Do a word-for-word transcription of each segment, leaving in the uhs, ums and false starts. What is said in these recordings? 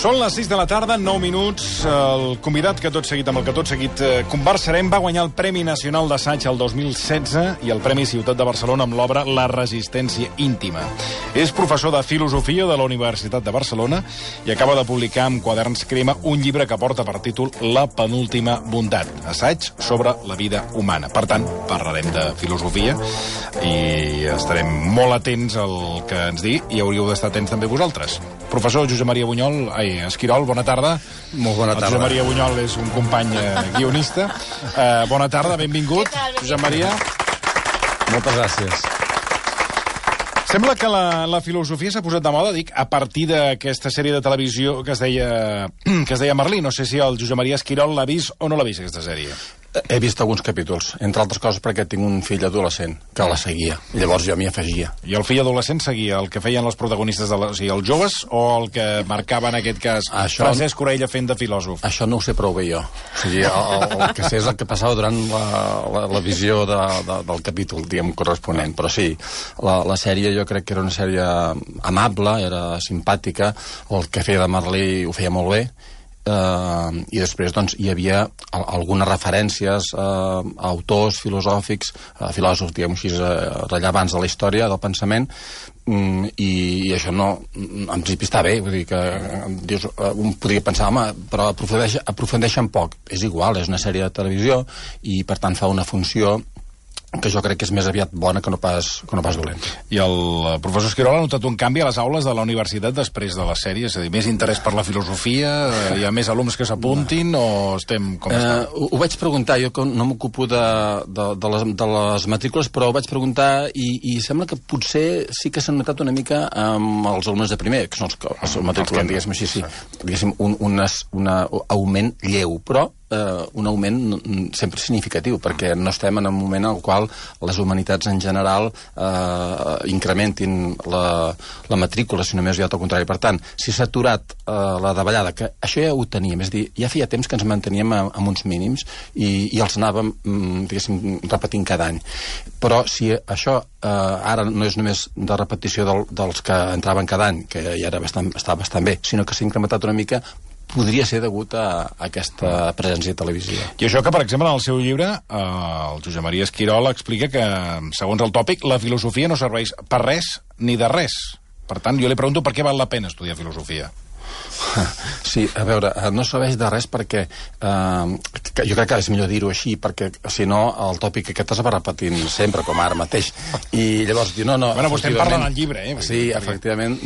Són les sis de la tarda, nou minuts. El convidat que tot seguit, amb el que tot seguit eh, conversarem, va guanyar el Premi Nacional d'Assaig el dos mil setze i el Premi Ciutat de Barcelona amb l'obra La resistència íntima. És professor de filosofia de la Universitat de Barcelona i acaba de publicar amb Quaderns Crema un llibre que porta per títol La penúltima bondat, assaig sobre la vida humana. Per tant, parlarem de filosofia i estarem molt atents al que ens digui i hauríeu d'estar atents també vosaltres. Professor Josep Maria Bunyol, ai, Esquirol, bona tarda. Molt bona tarda. El Josep Maria Bunyol és un company eh, guionista. Eh, bona tarda, benvingut. Josep Maria. Moltes gràcies. Sembla que la, la filosofia s'ha posat de moda, dic, a partir d'aquesta sèrie de televisió que es deia, que es deia Merlí. No sé si el Josep Maria Esquirol l'ha vist o no l'ha vist, aquesta sèrie. He vist alguns capítols, entre altres coses perquè tinc un fill adolescent que la seguia, i llavors jo m'hi afegia. I el fill adolescent seguia el que feien els protagonistes, de la, o sigui, els joves, o el que marcava en aquest cas això, Francesc Orella fent de filòsof? Això no ho sé prou bé jo. O sigui, el, el, el que sé és el que passava durant la, la, la visió de, de, del capítol, diguem, corresponent. Però sí, la, la sèrie jo crec que era una sèrie amable, era simpàtica, el que feia de Merlí ho feia molt bé, Uh, i després doncs, hi havia algunes referències uh, a autors filosòfics, uh, filòsofs, diguem així, uh, rellevants de la història, del pensament, um, i, i això no, en principi està bé, vull dir que dius, uh, un podria pensar, home, però aprofundeix, aprofundeix en poc. És igual, és una sèrie de televisió i per tant fa una funció que jo crec que és més aviat bona que no pas, que no pas dolenta. I el professor Esquirol ha notat un canvi a les aules de la universitat després de la sèrie? És a dir, més interès per la filosofia? Hi ha més alumnes que s'apuntin no. o estem com eh, estem? Ho, ho vaig preguntar, jo no m'ocupo de, de, de, les, de les matrícules, però ho vaig preguntar i, i sembla que potser sí que s'ha notat una mica amb els alumnes de primer, que són els que els matriculen, diguéssim així, sí, diguéssim, un, un, un augment lleu, però Uh, un augment sempre significatiu, perquè no estem en un moment en el qual les humanitats en general uh, incrementin la, la matrícula, sinó més aviat al contrari. Per tant, si s'ha aturat uh, la davallada, que això ja ho teníem, és dir, ja feia temps que ens manteníem amb uns mínims i, i els anàvem, diguéssim, repetint cada any. Però si això uh, ara no és només de repetició del, dels que entraven cada any, que ja era bastant, estava bastant bé, sinó que s'ha incrementat una mica, podria ser degut a, a aquesta presència televisiva. I això que, per exemple, en el seu llibre, eh, el Josep Maria Esquirol explica que, segons el tòpic, la filosofia no serveix per res ni de res. Per tant, jo li pregunto per què val la pena estudiar filosofia. Sí, a veure, no serveix de res perquè eh, que jo crec que és millor dir-ho així, perquè si no el tòpic aquest es va repetint sempre, com ara mateix, i llavors diu, no, no... Bueno, vostè en parla en el llibre, eh? Sí, efectivament,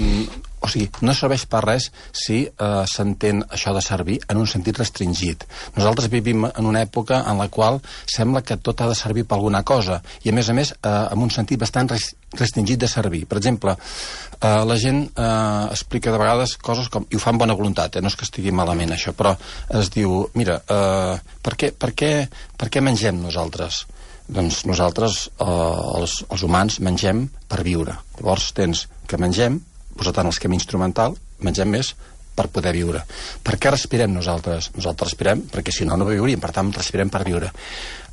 o sigui, no serveix per res si eh, s'entén això de servir en un sentit restringit. Nosaltres vivim en una època en la qual sembla que tot ha de servir per alguna cosa, i a més a més eh, en un sentit bastant restringit de servir. Per exemple, eh, la gent eh, explica de vegades coses com, i ho fa amb bona voluntat, eh, no és que estigui malament això, però es diu, mira, eh, per, què, per, què, per què mengem nosaltres? Doncs nosaltres, eh, els, els humans, mengem per viure. Llavors tens que mengem, posat en l'esquema instrumental, mengem més per poder viure. Per què respirem nosaltres? Nosaltres respirem perquè si no, no viuríem, per tant, respirem per viure.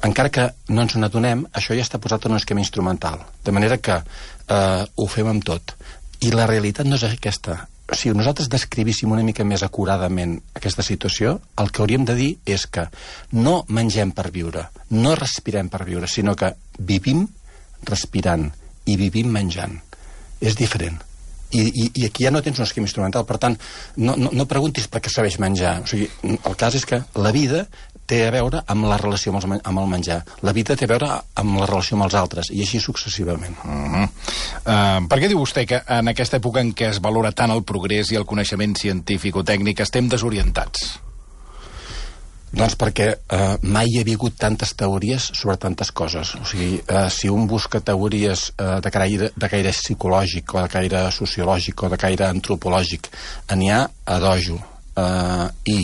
Encara que no ens n'adonem, això ja està posat en un esquema instrumental, de manera que eh, ho fem amb tot. I la realitat no és aquesta. Si nosaltres descrivíssim una mica més acuradament aquesta situació, el que hauríem de dir és que no mengem per viure, no respirem per viure, sinó que vivim respirant i vivim menjant. És diferent. I, i, i aquí ja no tens un esquema instrumental, per tant, no, no, no preguntis per què sabeix menjar. O sigui, el cas és que la vida té a veure amb la relació amb, els, amb el menjar. La vida té a veure amb la relació amb els altres, i així successivament. Uh-huh. uh, per què diu vostè que en aquesta època en què es valora tant el progrés i el coneixement científic o tècnic estem desorientats? Doncs perquè eh, mai hi havia hagut tantes teories sobre tantes coses. O sigui, eh, si un busca teories eh, de, caire, de caire psicològic o de caire sociològic o de caire antropològic, n'hi ha a dojo. Eh, I,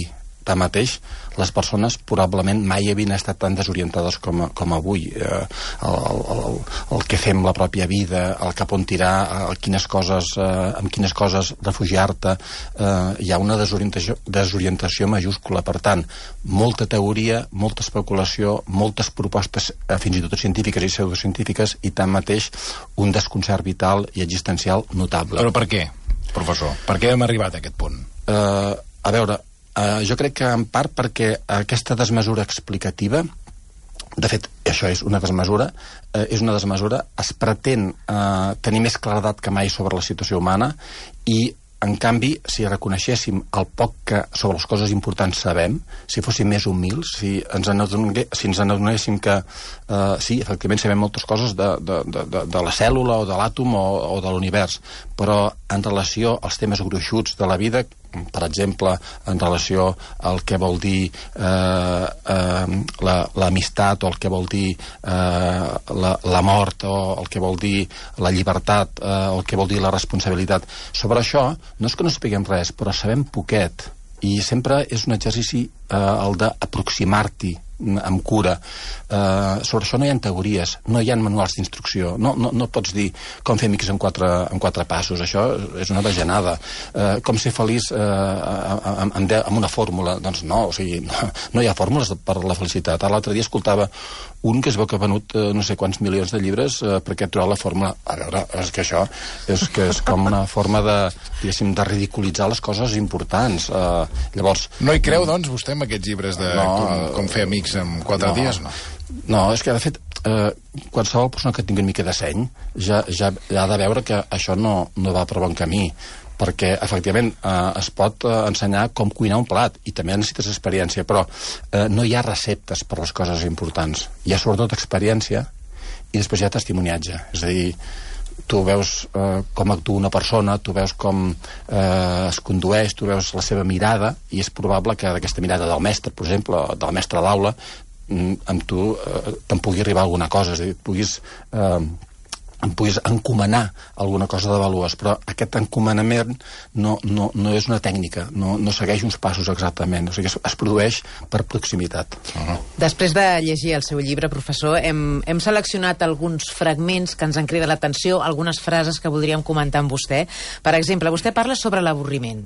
tanmateix, les persones probablement mai havien estat tan desorientades com, com avui. Eh, el, el, el que fem la pròpia vida, el cap on tirar, el quines coses, eh, amb quines coses refugiar-te, eh, hi ha una desorientació, desorientació majúscula. Per tant, molta teoria, molta especulació, moltes propostes, eh, fins i tot científiques i pseudocientífiques, i tanmateix un desconcert vital i existencial notable. Però per què, professor? Per què hem arribat a aquest punt? Eh... A veure, uh, jo crec que en part perquè aquesta desmesura explicativa, de fet, això és una desmesura, eh, és una desmesura, es pretén eh, tenir més claredat que mai sobre la situació humana i, en canvi, si reconeixéssim el poc que sobre les coses importants sabem, si fóssim més humils, si ens adongué, si ens adonéssim que eh, sí, efectivament sabem moltes coses de, de, de, de la cèl·lula o de l'àtom o, o de l'univers, però en relació als temes gruixuts de la vida, per exemple, en relació al que vol dir eh, eh, l'amistat o el que vol dir eh, la, la mort o el que vol dir la llibertat eh, o el que vol dir la responsabilitat. Sobre això no és que no sapiguem res, però sabem poquet i sempre és un exercici eh, el d'aproximar-t'hi amb cura. Uh, sobre això no hi ha teories, no hi ha manuals d'instrucció, no, no, no pots dir com fer amics en quatre, en quatre passos, això és una bajanada. Uh, com ser feliç uh, amb, amb, amb una fórmula, doncs no, o sigui, no, no hi ha fórmules per la felicitat. Ara l'altre dia escoltava un que es veu que ha venut uh, no sé quants milions de llibres uh, perquè ha trobat la fórmula. A veure, és que això és, que és com una forma de, diguéssim, de ridiculitzar les coses importants. Uh, llavors... No hi creu, doncs, vostè, en aquests llibres de no, com, com fer amics en quatre no, dies, no? No, és que, de fet, eh, qualsevol persona que tingui una mica de seny ja, ja, ja ha de veure que això no, no va per bon camí, perquè, efectivament, eh, es pot eh, ensenyar com cuinar un plat, i també necessites experiència, però eh, no hi ha receptes per les coses importants. Hi ha, sobretot, experiència, i després hi ha testimoniatge. És a dir, tu veus eh, com actua una persona, tu veus com eh, es condueix, tu veus la seva mirada, i és probable que d'aquesta mirada del mestre, per exemple, del mestre d'aula, amb tu eh, te'n pugui arribar alguna cosa, és a dir, puguis, eh, em puguis encomanar alguna cosa de valuós, però aquest encomanament no, no, no és una tècnica, no, no segueix uns passos exactament, o sigui, es, es produeix per proximitat. Uh-huh. Després de llegir el seu llibre, professor, hem, hem seleccionat alguns fragments que ens han cridat l'atenció, algunes frases que voldríem comentar amb vostè. Per exemple, vostè parla sobre l'avorriment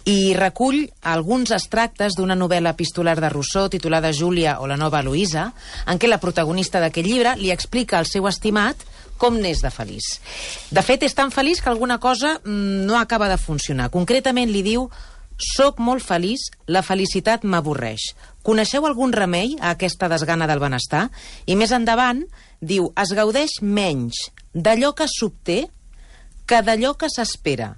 i recull alguns extractes d'una novel·la epistolar de Rousseau titulada Júlia o la nova Luïsa, en què la protagonista d'aquest llibre li explica al seu estimat com n'és de feliç. De fet, és tan feliç que alguna cosa mmm, no acaba de funcionar. Concretament li diu: «Soc molt feliç, la felicitat m'avorreix. Coneixeu algun remei a aquesta desgana del benestar?» I més endavant diu: «Es gaudeix menys d'allò que s'obté que d'allò que s'espera.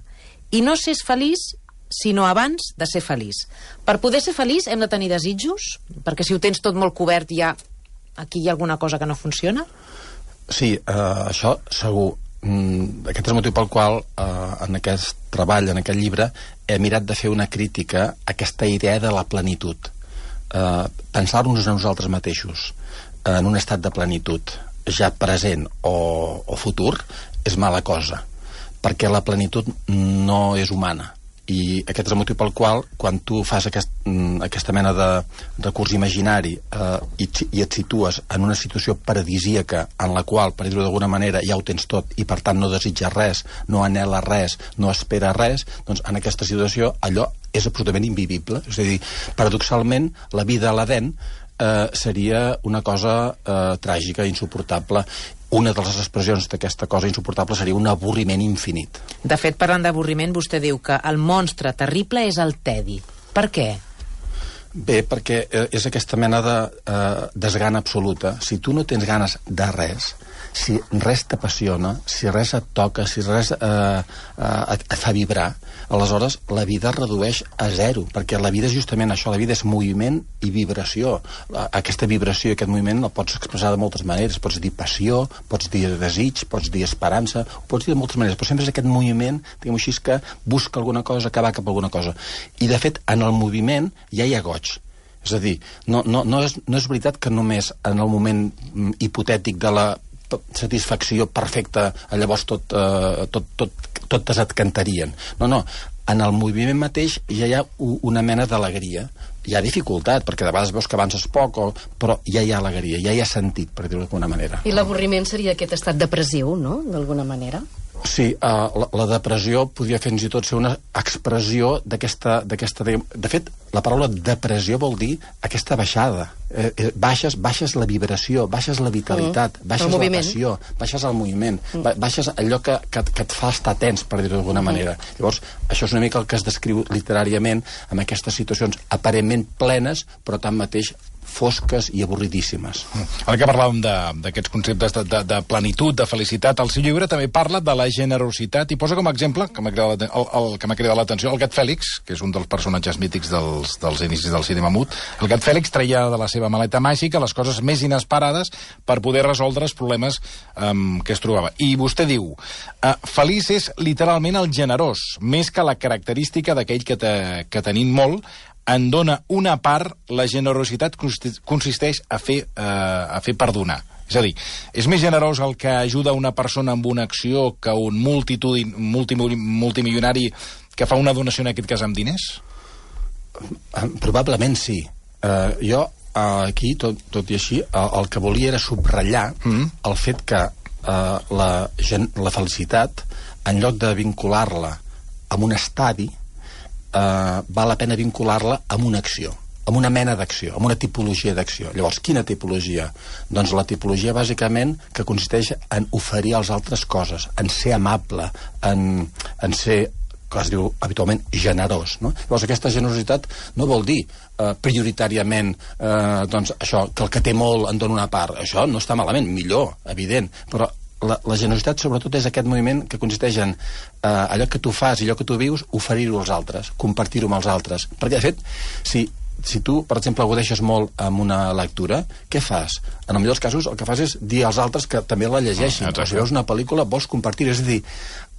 I no s'és feliç sinó abans de ser feliç». Per poder ser feliç hem de tenir desitjos? Perquè si ho tens tot molt cobert, ja aquí hi ha alguna cosa que no funciona? Sí, eh, això segur. Mm, aquest és el motiu pel qual eh, en aquest treball, en aquest llibre, he mirat de fer una crítica a aquesta idea de la plenitud. Eh, pensar-nos a nosaltres mateixos eh, en un estat de plenitud, ja present o, o futur, és mala cosa, perquè la plenitud no és humana. I aquest és el motiu pel qual, quan tu fas aquest, aquesta mena de recurs imaginari eh, i, i et situes en una situació paradisíaca en la qual, per dir-ho d'alguna manera, ja ho tens tot i per tant no desitja res, no anhela res, no espera res, doncs en aquesta situació allò és absolutament invivible. És a dir, paradoxalment, la vida a l'Edèn eh, seria una cosa eh, tràgica, insuportable. Una de les expressions d'aquesta cosa insuportable seria un avorriment infinit. De fet, parlant d'avorriment, vostè diu que el monstre terrible és el tedi. Per què? Bé, perquè és aquesta mena de eh, desgana absoluta. Si tu no tens ganes de res, si res t'apassiona, si res et toca, si res eh, eh, et, et fa vibrar, aleshores la vida es redueix a zero, perquè la vida és justament això, la vida és moviment i vibració. Aquesta vibració i aquest moviment el pots expressar de moltes maneres, pots dir passió, pots dir desig, pots dir esperança, ho pots dir de moltes maneres, però sempre és aquest moviment, diguem així, que busca alguna cosa, que va cap a alguna cosa. I de fet, en el moviment ja hi ha goig. És a dir, no, no, no, és, no és veritat que només en el moment mm, hipotètic de la satisfacció perfecta, llavors tot, eh, tot, tot, totes et cantarien. No, no, en el moviment mateix ja hi ha una mena d'alegria. Hi ha dificultat, perquè de vegades veus que avances poc, o, però ja hi ha alegria, ja hi ha sentit, per dir-ho d'alguna manera. I l'avorriment seria aquest estat depressiu, no?, d'alguna manera? Sí, uh, la, la depressió podria fins i tot ser una expressió d'aquesta... De fet, la paraula depressió vol dir aquesta baixada. Eh, eh, baixes, baixes la vibració, baixes la vitalitat, mm. baixes la passió, baixes el moviment, mm. baixes allò que, que, que et fa estar tens, per dir-ho d'alguna mm. manera. Llavors, això és una mica el que es descriu literàriament amb aquestes situacions aparentment plenes, però tanmateix fosques i avorridíssimes. Ara que parlàvem d'aquests conceptes de, de, de plenitud, de felicitat, el seu llibre també parla de la generositat i posa com a exemple, que m'ha cridat, el, el, que m'ha cridat l'atenció, el gat Fèlix, que és un dels personatges mítics dels, dels inicis del cinema mut. El gat Fèlix treia de la seva maleta màgica les coses més inesperades per poder resoldre els problemes um, que es trobava. I vostè diu, uh, feliç és literalment el generós, més que la característica d'aquell que, te, que tenim molt, en dona una part, la generositat consisteix a fer, eh, a fer perdonar. És a dir, és més generós el que ajuda una persona amb una acció que un multitud, multi, multimilionari que fa una donació, en aquest cas, amb diners? Probablement sí. Uh, jo, uh, aquí, tot, tot i així, uh, el que volia era subratllar mm. el fet que uh, la, la felicitat, en lloc de vincular-la amb un estadi, Uh, val la pena vincular-la amb una acció, amb una mena d'acció, amb una tipologia d'acció. Llavors, quina tipologia? Doncs la tipologia, bàsicament, que consisteix en oferir als altres coses, en ser amable, en, en ser, que es diu habitualment, generós. No? Llavors, aquesta generositat no vol dir uh, prioritàriament uh, doncs, això, que el que té molt en dona una part. Això no està malament, millor, evident, però La, la generositat, sobretot, és aquest moviment que consisteix en eh, allò que tu fas i allò que tu vius, oferir-ho als altres, compartir-ho amb els altres. Perquè, de fet, si, si tu, per exemple, agudeixes molt amb una lectura, què fas? En el millor dels casos, el que fas és dir als altres que també la llegeixin. Ah, o si veus una pel·lícula, vols compartir. És a dir,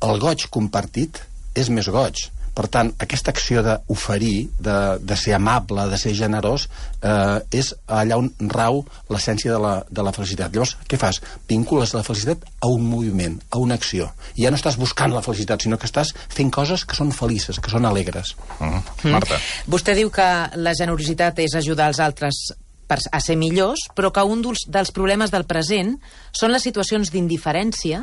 el goig compartit és més goig. Per tant, aquesta acció d'oferir, de, de ser amable, de ser generós, eh, és allà on rau l'essència de, la, de la felicitat. Llavors, què fas? Vincules la felicitat a un moviment, a una acció. I ja no estàs buscant la felicitat, sinó que estàs fent coses que són felices, que són alegres. Mm. Mm. Marta. Vostè diu que la generositat és ajudar els altres a ser millors, però que un dels, dels problemes del present són les situacions d'indiferència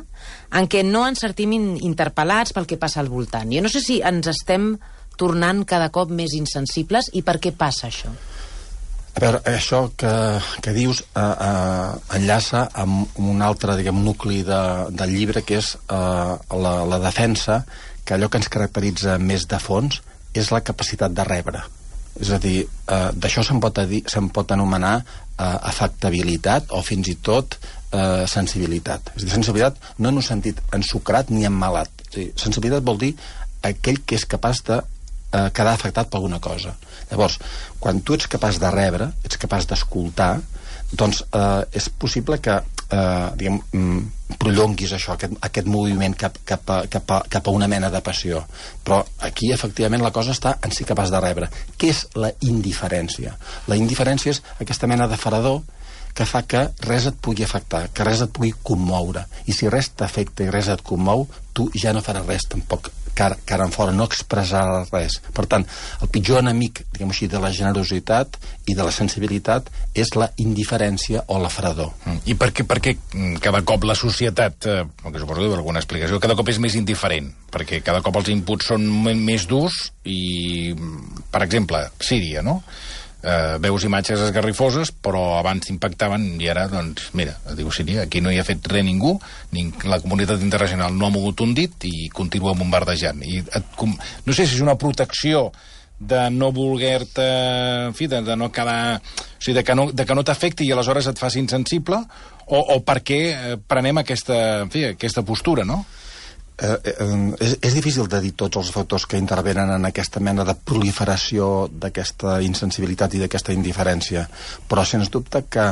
en què no ens sentim interpel·lats pel que passa al voltant. Jo no sé si ens estem tornant cada cop més insensibles i per què passa això. A veure, això que, que dius eh, eh, enllaça amb un altre, diguem, nucli de, del llibre, que és eh, la, la defensa, que allò que ens caracteritza més de fons és la capacitat de rebre. És a dir, eh, d'això se'n pot, se pot anomenar eh, afectabilitat o fins i tot eh, sensibilitat. És a dir, sensibilitat no en un sentit ensucrat ni emmalat. És a dir, sensibilitat vol dir aquell que és capaç de eh, quedar afectat per alguna cosa. Llavors, quan tu ets capaç de rebre, ets capaç d'escoltar, doncs eh, és possible que eh, diguem, mm, prolonguis això, aquest, aquest moviment cap, cap, a, cap, a, cap a una mena de passió. Però aquí, efectivament, la cosa està en ser capaç de rebre. Què és la indiferència? La indiferència és aquesta mena de fredor que fa que res et pugui afectar, que res et pugui commoure. I si res t'afecta i res et commou, tu ja no faràs res tampoc cara, cara en fora, no expressaràs res. Per tant, el pitjor enemic, diguem així, de la generositat i de la sensibilitat és la indiferència o la fredor. Mm. I per què, per què cada cop la societat, eh, que suposo que hi ha alguna explicació, cada cop és més indiferent? Perquè cada cop els inputs són més durs i, per exemple, Síria, no? Uh, veus imatges esgarrifoses, però abans impactaven i ara, doncs, mira, diu Síria, aquí no hi ha fet res ningú, ni la comunitat internacional no ha mogut un dit i continua bombardejant. I et, com, no sé si és una protecció de no voler-te, en fi, de, de no quedar, o sigui, de que no, de que no t'afecti i aleshores et faci insensible, o, o per què prenem aquesta, en fi, aquesta postura, no? Eh, eh, és, és difícil de dir tots els factors que intervenen en aquesta mena de proliferació d'aquesta insensibilitat i d'aquesta indiferència, però sens dubte que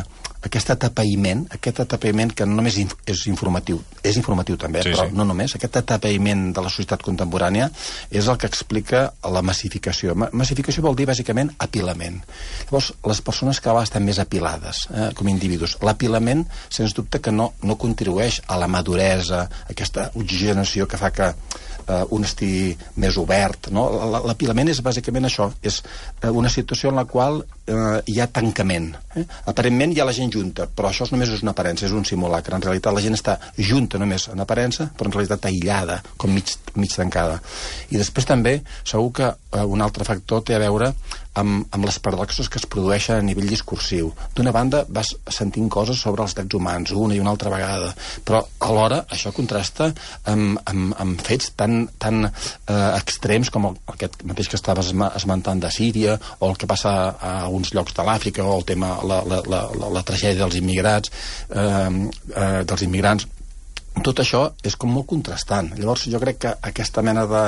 aquest atapeïment, aquest atapeïment que no només inf és informatiu, és informatiu també, sí, però sí. no només, aquest atapeïment de la societat contemporània és el que explica la massificació. Ma massificació vol dir, bàsicament, apilament. Llavors, les persones cada vegada estan més apilades, eh, com a individus. L'apilament, sens dubte, que no, no contribueix a la maduresa, a aquesta oxigenació situació que fa que eh, un estigui més obert, no? L'apilament és bàsicament això, és eh, una situació en la qual eh, hi ha tancament. Eh? Aparentment hi ha la gent junta, però això només és una aparença, és un simulacre. En realitat la gent està junta només en aparença, però en realitat aïllada, com mig, mig tancada. I després també, segur que eh, un altre factor té a veure amb, amb les paradoxes que es produeixen a nivell discursiu. D'una banda vas sentint coses sobre els drets humans una i una altra vegada, però alhora això contrasta amb, amb, amb fets tan, tan eh, extrems com el, aquest mateix que estaves esmentant de Síria, o el que passa a, a alguns llocs de l'Àfrica, o el tema, la, la, la, la, la tragèdia dels immigrats, eh, eh, dels immigrants. Tot això és com molt contrastant. Llavors jo crec que aquesta mena de,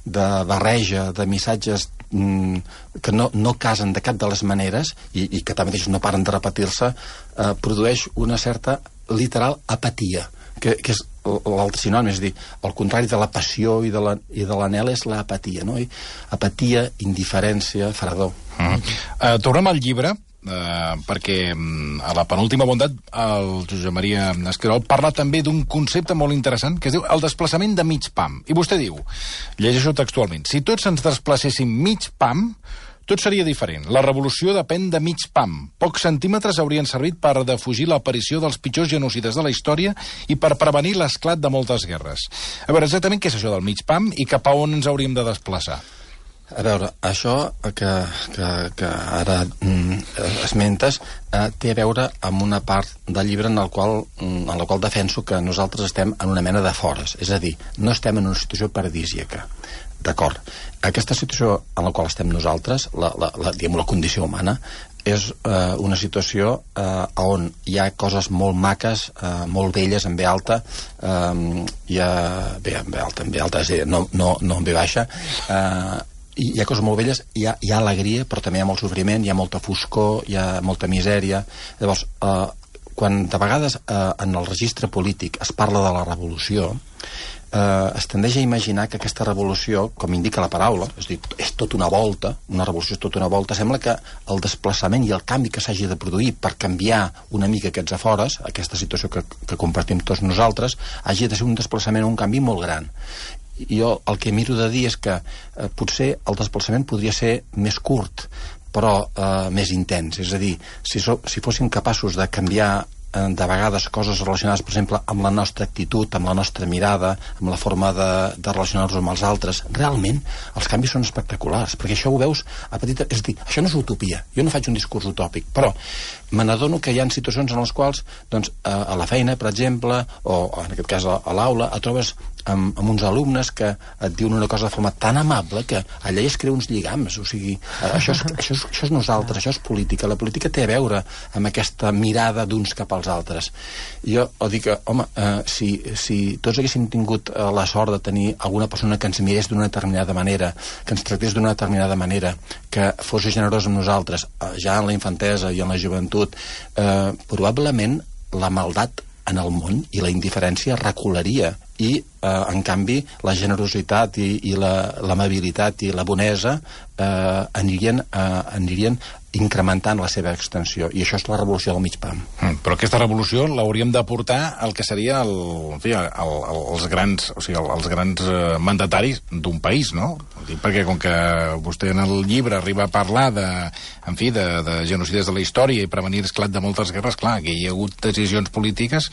de barreja de missatges mm, que no, no casen de cap de les maneres i, i que també no paren de repetir-se, eh, produeix una certa literal apatia, que, que és l'altre sinònim, és a dir, el contrari de la passió i de l'anhel és l'apatia, no? I apatia, indiferència, fredor. Mm. Uh, tornem al llibre, Uh, perquè a la penúltima bondat el Josep Maria Esquirol parla també d'un concepte molt interessant que es diu el desplaçament de mig pam, i vostè diu, llegeixo textualment, si tots ens desplacéssim mig pam tot seria diferent. La revolució depèn de mig pam. Pocs centímetres haurien servit per defugir l'aparició dels pitjors genocides de la història i per prevenir l'esclat de moltes guerres. A veure, exactament què és això del mig pam i cap a on ens hauríem de desplaçar? A veure, això que, que, que ara mm, esmentes eh, té a veure amb una part del llibre en, el qual, en la qual defenso que nosaltres estem en una mena de fores, és a dir, no estem en una situació paradisíaca. D'acord. Aquesta situació en la qual estem nosaltres, la, la, la, diguem, la condició humana, és eh, una situació eh, on hi ha coses molt maques, eh, molt belles, en ve alta, eh, hi ha... bé, en ve alta, en ve alta, és a dir, no, no, no en ve baixa, eh, hi ha coses molt belles, hi ha, hi ha alegria, però també hi ha molt sofriment, hi ha molta foscor, hi ha molta misèria. Llavors, eh, quan de vegades eh, en el registre polític es parla de la revolució, eh, es tendeix a imaginar que aquesta revolució, com indica la paraula, és a dir, és tot una volta, una revolució és tot una volta, sembla que el desplaçament i el canvi que s'hagi de produir per canviar una mica aquests afores, aquesta situació que, que compartim tots nosaltres, hagi de ser un desplaçament o un canvi molt gran. Jo el que miro de dir és que eh, potser el desplaçament podria ser més curt, però eh, més intens. És a dir, si, so, si fóssim capaços de canviar eh, de vegades coses relacionades, per exemple, amb la nostra actitud, amb la nostra mirada, amb la forma de, de relacionar-nos amb els altres, realment els canvis són espectaculars, perquè això ho veus a petita... És a dir, això no és utopia, jo no faig un discurs utòpic, però me n'adono que hi ha situacions en les quals, doncs, a la feina, per exemple, o en aquest cas a l'aula, et trobes amb, amb uns alumnes que et diuen una cosa de forma tan amable que allà es creu uns lligams, o sigui, això és, això és, això és nosaltres, això és política. La política té a veure amb aquesta mirada d'uns cap als altres. Jo dic que, home, eh, si, si tots haguéssim tingut eh, la sort de tenir alguna persona que ens mirés d'una determinada manera, que ens tractés d'una determinada manera, que fos generós amb nosaltres, eh, ja en la infantesa i en la joventut, eh, probablement la maldat en el món i la indiferència recularia i, eh, en canvi, la generositat i, i l'amabilitat i la bonesa eh, anirien, eh, anirien incrementant la seva extensió, i això és la revolució del mig pam. Mm, però aquesta revolució l'hauríem de portar al que seria el, en fi, el, el, els grans, o sigui, els grans eh, mandataris d'un país, no? Perquè com que vostè en el llibre arriba a parlar de, en fi, de, de genocides de la història i prevenir l'esclat de moltes guerres, clar, que hi ha hagut decisions polítiques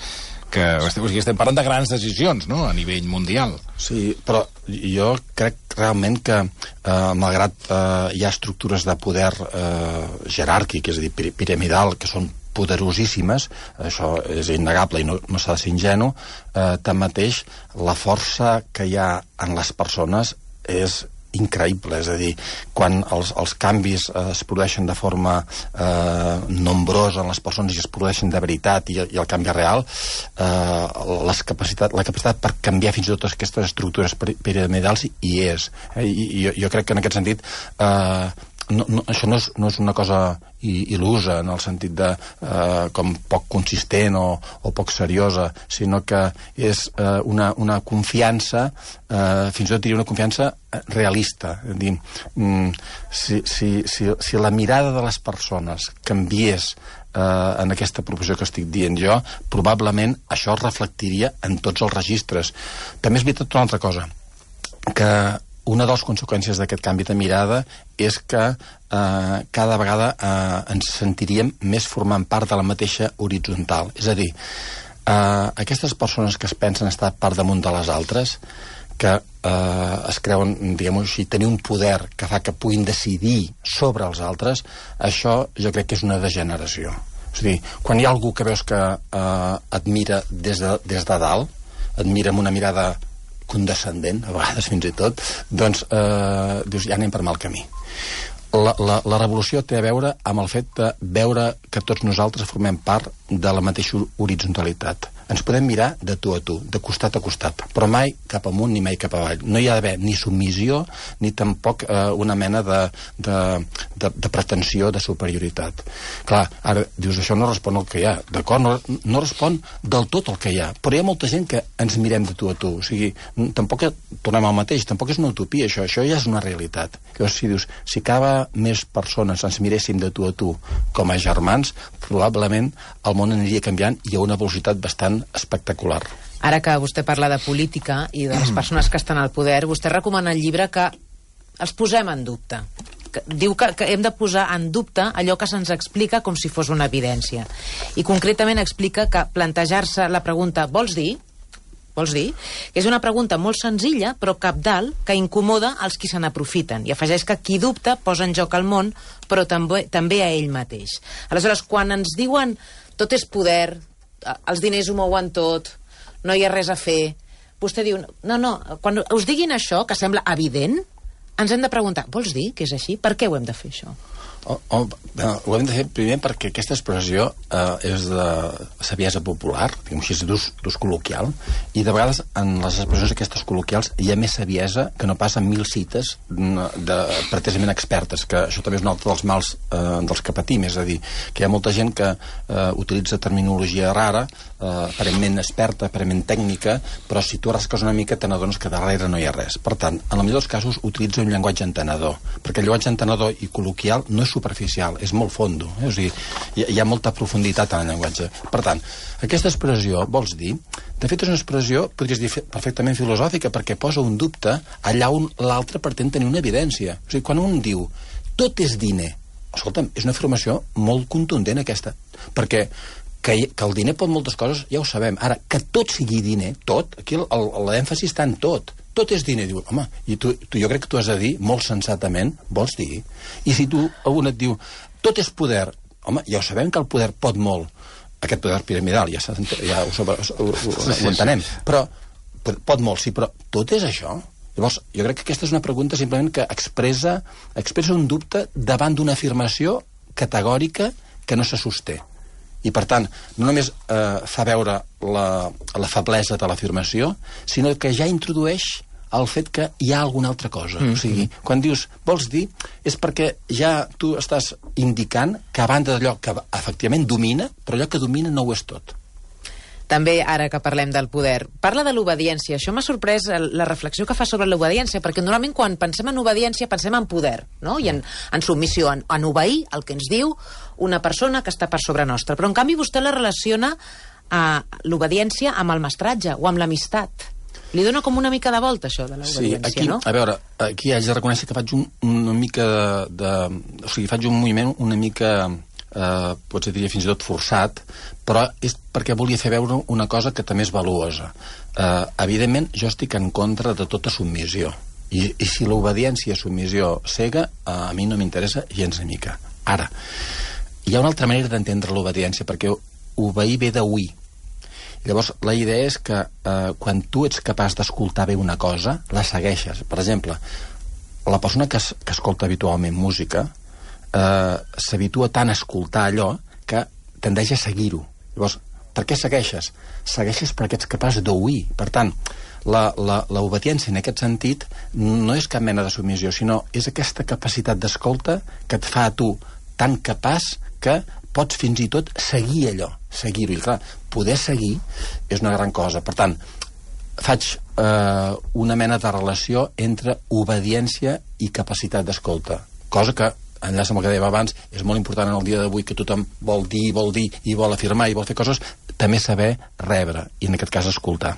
que, o sigui, estem parlant de grans decisions, no?, a nivell mundial. Sí, però jo crec realment que, eh, malgrat eh, hi ha estructures de poder eh, jeràrquic, és a dir, piramidal, que són poderosíssimes, això és innegable i no, no s'ha de ser ingenu, eh, tanmateix la força que hi ha en les persones és increïble, és a dir, quan els, els canvis eh, es produeixen de forma eh, nombrosa en les persones i es produeixen de veritat i, i el canvi real, eh, les capacitat, la capacitat per canviar fins i tot aquestes estructures piramidals hi és. Eh? I, i jo, jo crec que en aquest sentit eh, no, no, això no és, no és una cosa il·lusa en el sentit de eh, com poc consistent o, o poc seriosa, sinó que és eh, una, una confiança, eh, fins i tot diria una confiança realista. És a dir, mm, si, si, si, si la mirada de les persones canviés eh, en aquesta proposició que estic dient jo, probablement això es reflectiria en tots els registres. També és veritat una altra cosa, que una de les conseqüències d'aquest canvi de mirada és que eh, cada vegada eh, ens sentiríem més formant part de la mateixa horitzontal. És a dir, eh, aquestes persones que es pensen estar per damunt de les altres, que eh, es creuen, diguem-ho així, tenir un poder que fa que puguin decidir sobre els altres, això jo crec que és una degeneració. És a dir, quan hi ha algú que veus que eh, et mira des de, des de dalt, et mira amb una mirada condescendent, a vegades fins i tot, doncs eh, dius, ja anem per mal camí. La, la, la revolució té a veure amb el fet de veure que tots nosaltres formem part de la mateixa horitzonalitat. Ens podem mirar de tu a tu, de costat a costat, però mai cap amunt ni mai cap avall. No hi ha d'haver ni submissió ni tampoc eh, una mena de, de, de, de pretensió de superioritat. Clar, ara dius, això no respon al que hi ha. D'acord, no, no respon del tot el que hi ha, però hi ha molta gent que ens mirem de tu a tu. O sigui, tampoc tornem al mateix, tampoc és una utopia, això, això ja és una realitat. Llavors, si dius, si cada més persones ens miréssim de tu a tu com a germans, probablement el món aniria canviant i a una velocitat bastant espectacular. Ara que vostè parla de política i de les persones que estan al poder, vostè recomana el llibre que els posem en dubte. Que diu que, que hem de posar en dubte allò que se'ns explica com si fos una evidència. I concretament explica que plantejar-se la pregunta «vols dir?», vols dir? És una pregunta molt senzilla, però cabdal, que incomoda els qui se n'aprofiten. I afegeix que qui dubta posa en joc el món, però també, també a ell mateix. Aleshores, quan ens diuen tot és poder, els diners ho mouen tot, no hi ha res a fer, vostè diu, no, no, quan us diguin això, que sembla evident, ens hem de preguntar, vols dir que és així? Per què ho hem de fer, això? Oh, oh, no, ho hem de fer primer perquè aquesta expressió eh, és de saviesa popular, diguem així, d'ús col·loquial, i de vegades en les expressions aquestes col·loquials hi ha més saviesa que no pas en mil cites de, pretesament expertes, que això també és un altre dels mals eh, dels que patim, és a dir, que hi ha molta gent que eh, utilitza terminologia rara, eh, aparentment experta, aparentment tècnica, però si tu rasques una mica te n'adones que darrere no hi ha res. Per tant, en el millor dels casos utilitza un llenguatge entenedor, perquè el llenguatge entenedor i col·loquial no és superficial, és molt fondo, eh? O sigui, hi, hi ha molta profunditat en el llenguatge. Per tant, aquesta expressió, vols dir, de fet és una expressió, podries dir, perfectament filosòfica, perquè posa un dubte allà on l'altre pretén tenir una evidència. O sigui, quan un diu, tot és diner, escolta'm, és una afirmació molt contundent aquesta, perquè que, que el diner pot moltes coses, ja ho sabem. Ara, que tot sigui diner, tot, aquí l'èmfasi està en tot, tot és diner, diu, home, i tu, tu, jo crec que tu has de dir, molt sensatament, vols dir? I si tu, algun et diu, tot és poder, home, ja ho sabem que el poder pot molt, aquest poder piramidal, ja, ja ho, sobre, ho, ho, ho, ho entenem, però pot molt, sí, però tot és això? Llavors, jo crec que aquesta és una pregunta simplement que expressa, expressa un dubte davant d'una afirmació categòrica que no se sosté. I, per tant, no només eh, fa veure la, la feblesa de l'afirmació, sinó que ja introdueix el fet que hi ha alguna altra cosa. Mm-hmm. O sigui, quan dius, vols dir, és perquè ja tu estàs indicant que a banda d'allò que efectivament domina, però allò que domina no ho és tot. També, ara que parlem del poder, parla de l'obediència. Això m'ha sorprès la reflexió que fa sobre l'obediència, perquè normalment quan pensem en obediència pensem en poder, no? I en, en submissió, en, en obeir el que ens diu una persona que està per sobre nostra. Però, en canvi, vostè la relaciona a l'obediència amb el mestratge o amb l'amistat. Li dona com una mica de volta, això, de l'obediència, sí, aquí, no? A veure, aquí haig de reconèixer que faig un, una mica de, de... O sigui, faig un moviment una mica... Eh, potser diria fins i tot forçat, però és perquè volia fer veure una cosa que també és valuosa. Eh, evidentment, jo estic en contra de tota submissió. I, i si l'obediència és submissió cega, eh, a mi no m'interessa gens ni mica. Ara, hi ha una altra manera d'entendre l'obediència, perquè obeir ve d'oir. Llavors, la idea és que eh, quan tu ets capaç d'escoltar bé una cosa, la segueixes. Per exemple, la persona que, es, que escolta habitualment música eh, s'habitua tant a escoltar allò que tendeix a seguir-ho. Llavors, per què segueixes? Segueixes perquè ets capaç d'oir. Per tant, l'obediència en aquest sentit no és cap mena de submissió, sinó és aquesta capacitat d'escolta que et fa a tu tan capaç que pots fins i tot seguir allò, seguir-ho. I clar, poder seguir és una gran cosa. Per tant, faig eh, una mena de relació entre obediència i capacitat d'escolta, cosa que enllaça amb el que dèiem abans, és molt important en el dia d'avui que tothom vol dir, vol dir, i vol afirmar, i vol fer coses, també saber rebre, i en aquest cas escoltar.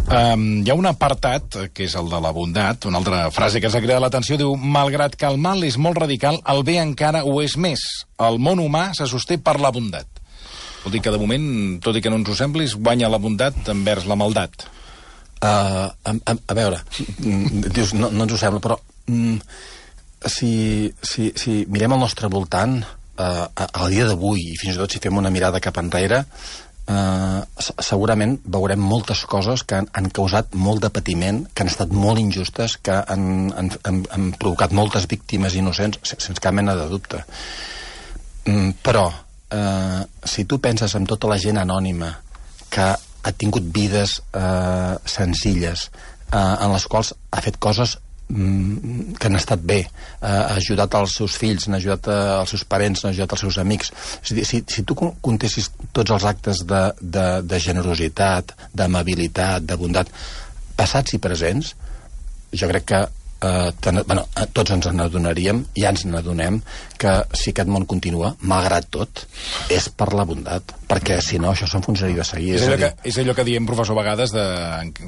Um, hi ha un apartat, que és el de la bondat, una altra frase que ens ha cridat l'atenció, diu, malgrat que el mal és molt radical, el bé encara ho és més. El món humà se sosté per la bondat. Vol dir que de moment, tot i que no ens ho semblis, guanya la bondat envers la maldat. Uh, a, a, a veure, dius, no, no ens ho sembla, però mm, si, si, si mirem al nostre voltant, uh, al dia d'avui, i fins i tot si fem una mirada cap enrere, uh, segurament veurem moltes coses que han, han causat molt de patiment, que han estat molt injustes, que han, han, han, han provocat moltes víctimes innocents, sense cap mena de dubte. Mm, però, uh, si tu penses en tota la gent anònima que ha tingut vides eh, senzilles, eh, en les quals ha fet coses mm, que han estat bé, eh, ha ajudat els seus fills, ha ajudat eh, els seus parents, ha ajudat els seus amics. És a dir, si, si tu comptessis tots els actes de, de, de generositat, d'amabilitat, de bondat, passats i presents, jo crec que eh, ten, bueno, tots ens n'adonaríem, ja ens n'adonem, que si aquest món continua, malgrat tot, és per la bondat, perquè si no això s'enfonsaria de seguir. És allò, que, és allò que diem, professor, a vegades, de,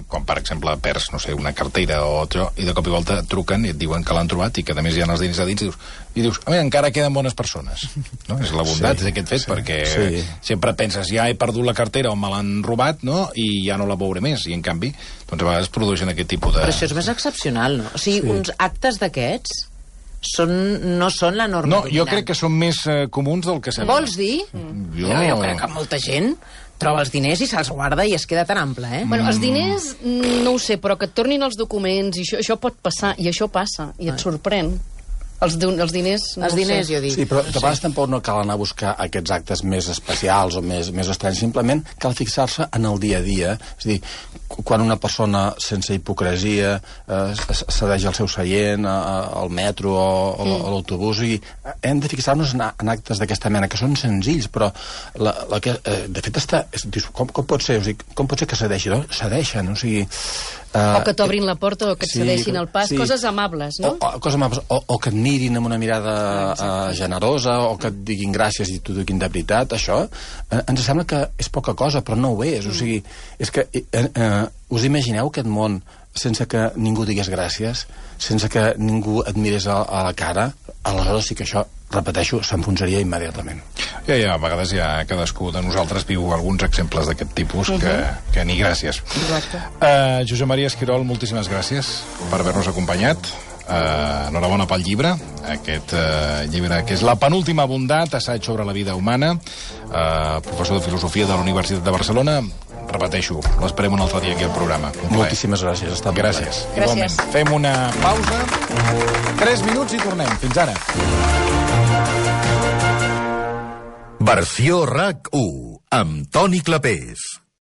quan per exemple perds, no sé, una cartera o altre, i de cop i volta et truquen i et diuen que l'han trobat i que a més hi ha els diners a dins, i dius, i dius a veure, encara queden bones persones. No? És la bondat, sí, és aquest fet, sí, perquè sí. Sempre penses, ja he perdut la cartera o me l'han robat, no? I ja no la veuré més, i en canvi, doncs a vegades produeixen aquest tipus de... Però això és més excepcional, no? O sigui, sí. Uns actes d'aquests Són, no són la norma no, dominant. Jo crec que són més uh, comuns del que sembla. Vols dir? Mm. Jo... jo crec que molta gent troba els diners i se'ls guarda i es queda tan ample, eh? Bueno, els diners, no ho sé, però que et tornin els documents, i això, això pot passar, i això passa, i et sorprèn. Els, els diners... No els diners, jo dic. Sí, però de vegades tampoc no cal anar a buscar aquests actes més especials o més, més estranys. Simplement cal fixar-se en el dia a dia. És a dir, quan una persona sense hipocresia eh, cedeix el seu seient al metro o, o mm. a l'autobús, i hem de fixar-nos en, en actes d'aquesta mena, que són senzills, però la, la que, eh, de fet està... És, com, com pot ser? O sigui, com pot ser que cedeixi? No? Cedeixen, o sigui... Uh, o que t'obrin la porta, o que et sí, cedeixin el pas, sí. Coses amables, no? O, o, coses amables, o, o que et mirin amb una mirada uh, generosa, o que et diguin gràcies i t'ho diguin de veritat, això eh, ens sembla que és poca cosa, però no ho és. Mm. O sigui, és que eh, eh, us imagineu aquest món sense que ningú digués gràcies, sense que ningú et mirés a, a la cara? Aleshores sí que això, repeteixo, s'enfonsaria immediatament. Ja, ja, a vegades ja cadascú de nosaltres viu alguns exemples d'aquest tipus que, uh-huh. que ni gràcies. Exacte. Uh, Josep Maria Esquirol, moltíssimes gràcies per haver-nos acompanyat. Uh, enhorabona pel llibre, aquest uh, llibre que és La penúltima bondat, assaig sobre la vida humana, uh, professor de filosofia de la Universitat de Barcelona. Repeteixo, l'esperem un altre dia aquí al programa. Moltíssimes gràcies. Ha estat gràcies. Gràcies. Igualment. Fem una pausa, tres minuts i tornem. Fins ara. Versió R A C u, amb Toni Clapés.